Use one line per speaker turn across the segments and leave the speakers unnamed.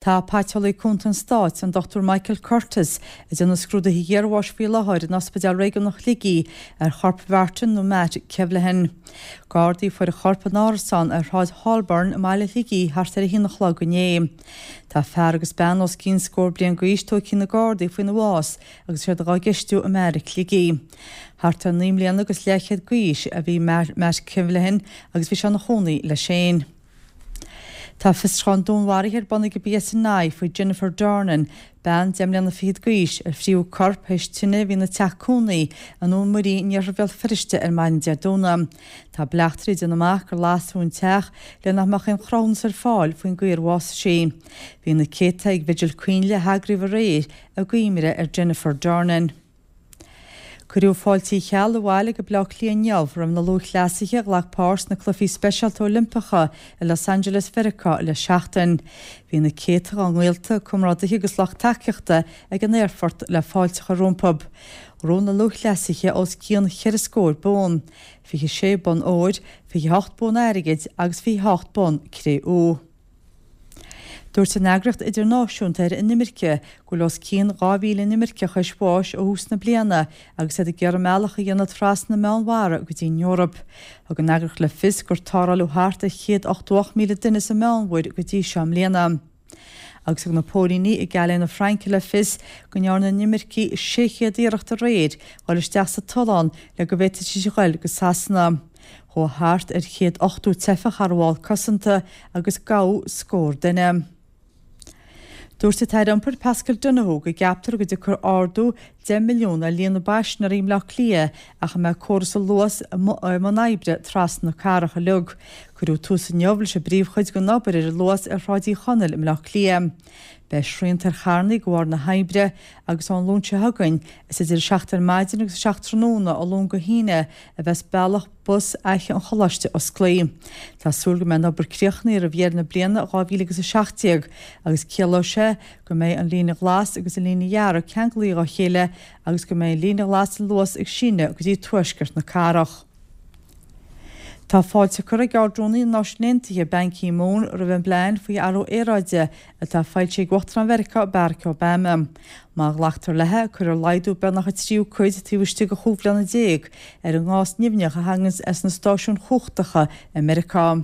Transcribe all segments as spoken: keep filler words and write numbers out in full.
Tá Paiteolaí Cúnta an Stáit, an Dochtúir Michael Curtis, ag déanamh scrúduithe iarbháis faoi láthair in Ospidéal Réigiúnach Shligigh ar chorp Mhartin nó Matt Kevlihan. Gardaí a fuair a chorp in árasán ar Shráid Holborn i mbaile Shligigh thart ar a haon a chlog inné. Tá fear agus bean os cionn scór bliain d'aois tógtha ag na Gardaí faoina bhás agus iad á gceistiú i mbeairic Shligigh. Thart ar naoi mbliana agus leathchéad d'aois a bhí Matt Kevlihan agus bhí sé ina chónaí leis féin. Tá fiosrúchán dúnmharaithe ar bun ag an P S N I faoi Jennifer Dornan, bean deich mbliana fichead d'aois, ar fríothadh a corp théis tine a bhí ina teach cónaí i nDún Muirí in iarthar Bhéal Feirste ar maidin Dé Domhnaigh. Tá bleachtairí ag déanamh amach gur lasadh an teach le nach mbeadh aon chruthúnas ar fáil faoin gcaoi ar bhásaigh sí. Bhí na céadta ag vigil coinnle a heagraíodh aréir i gcuimhne ar Jennifer Dornan. Cuireadh fáilte Uí Cheallaigh abhaile go Baile Átha Cliath inniu roimh na lúthchleasaithe a ghlac páirt sna Cluichí Speisialta Oilimpeacha i Los Angeles Mheiriceá le seachtain. Bhí na céadta dá ngaolta, comrádaithe agus lucht tacaíochta ag an aerfort le fáilte a chur rompu. Ghnóthaigh na lúthchleasaithe os cionn cheithre scór bonn, fiche sé bonn óir, fiche hocht bonn airgid agus fiche hocht bonn cré-umha. Dúirt an eagraíocht idirnáisiúnta ar inimirce go bhfuil os cionn dhá mhíle inimirceach théis bháis ó thús na bliana agus iad ag iarraidh a mbealach a dhéanamh trasna na Meánmhara go dtí an Eoraip. Thug an eagraíocht le fios gur tarrtháladh thart ar chéad ochtó ocht míle duine sa Meánmhuir go dtí seo i mbliana. Agus thug na póilíní i gCalais na Fraince le fios go ndearna inimircigh sé chéad iarracht aréir dul isteach sa tollán le go bhféadfaidís a ghoil go Sasana. Chuaigh thart ar chéad ochtó teifeach thar bhalla cosanta agus gabhadh scór duine. Dúirt an tAire Iompair Paschal Donohoe go gceaptar go dtiocfaidh ardú deich milliún ar líon na bpaisinéirí i mBaile Átha Cliath ach a mbeidh córas an Luas i mbun oibre trasna na cathrach uilig. Cuireadh tús inniu leis an bpríomhchuid den obair ar an Luas ar Shráid Uí Chonaill i mBaile Átha Cliath. Beidh srianta ar charranna de bharr na hoibre agus ón Luan seo chugainn is idir seacht ar maidin agus seacht tráthnóna ó Luan go hAoine a bheas bealach bus Fhaiche an Choláiste oscailte. Tá súil go mbeidh an obair críochnaithe roimh dheireadh na bliana dhá mhíle agus a seacht déag agus ciallóidh sé go mbeidh an líne ghlas agus an líne dhearg ceangailte dá chéile agus go mbeidh an líne ghlas an Luas ag síneadh go dtí tuaisceart na cathrach. Tá fáilte curtha ag Ard-Rúnaí na Náisiún Aontaithe Ban Ki-moon roimh an bplean faoi athrú aeráide atá foilsithe ag Uachtarán Mheiriceá Barack Obama. Má ghlactar léi, cuirfear laghdú beagnach a tríú cuid taobh istigh de chúig bhliana déag ar an ngás nimhneach a thagann as na stáisiúin chumhachtacha i Meiriceá.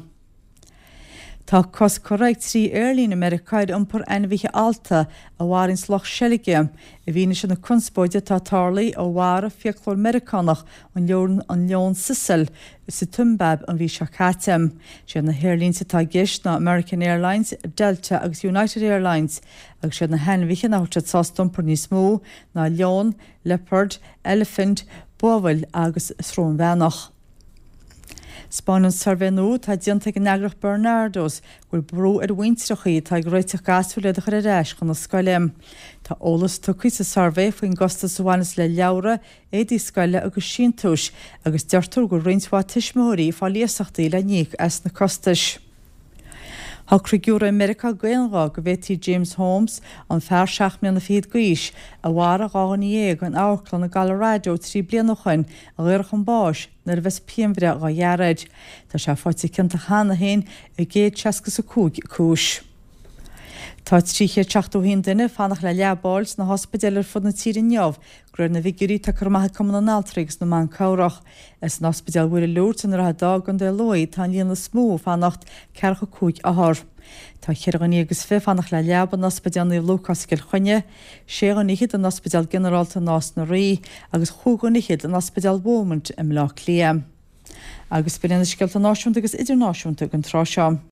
Tá cosc curtha ag trí aerlíne i Meiriceá ar iompar ainmhithe allta a mharaíonn lucht seilge, i bhfianaise na conspóide atá tarlaithe ó mharaigh fiaclóir Meiriceánach an leon an leon Cecil sa tSiombáib an mhí seo caite. Siad na haerlínte atá i gceist ná American Airlines, Delta agus United Airlines, agus siad na hainmhithe nach bhfuil siad sásta iompar níos mó ná leon, liopard, eilifint, buabhall agus srónbheannach. Spáineann suirbhé nua atá déanta ag an eagraíocht Barnardos go bhfuil brú ar mhuintreachaí atá ag réiteach gasúir iad a chur ar ais chun na scoile. Tá eolas tugtha sa suirbhé faoin gcostas a bhaineas le leabhra, éadaí scoile agus síntiúis, agus deirtear go roinnt mhaith tuismitheoirí ag fáil iasachtaí le n-íoc as na costais. Shocraigh giúiré i Meiriceá d'aon ghuth go bhféadfaí James Holmes, an fear seacht mbliana fichead d'aois, a mharaigh dhá dhuine dhéag in amharclann i gColorado trí bliana ó shin, a dhaoradh chun báis nuair a bheas pianbhreith á gearradh air. Tá sé faighte ciontach cheana féin i gcéad seasca is a cúig cúis. Tá trí chéad seachtó haon duine ag fanacht le leaba a fháil sna hospidéil ar fud na tíre inniu, de réir na bhfigiúirí atá curtha amach ag Cumann na nAltraí agus na mBan Cabhrach. San Ospidéal Mhuire Lourdes i nDroichead Átha i gContae Lú tá an líon is mó ag fanacht, ceathracha cúig othar. Tá ceithre dhuine agus fiche ag fanacht le leaba in Ospidéal Naomh Lúcás i gCill Chainnigh, sé dhuine fhichead in Ospidéal Ginearálta Nás na Rí agus chúig dhuine fhichead in Ospidéal Beaumont i mBleá Cliath. Agus b'in na scéalta náisiúnta agus idirnáisiúnta den tráth seo.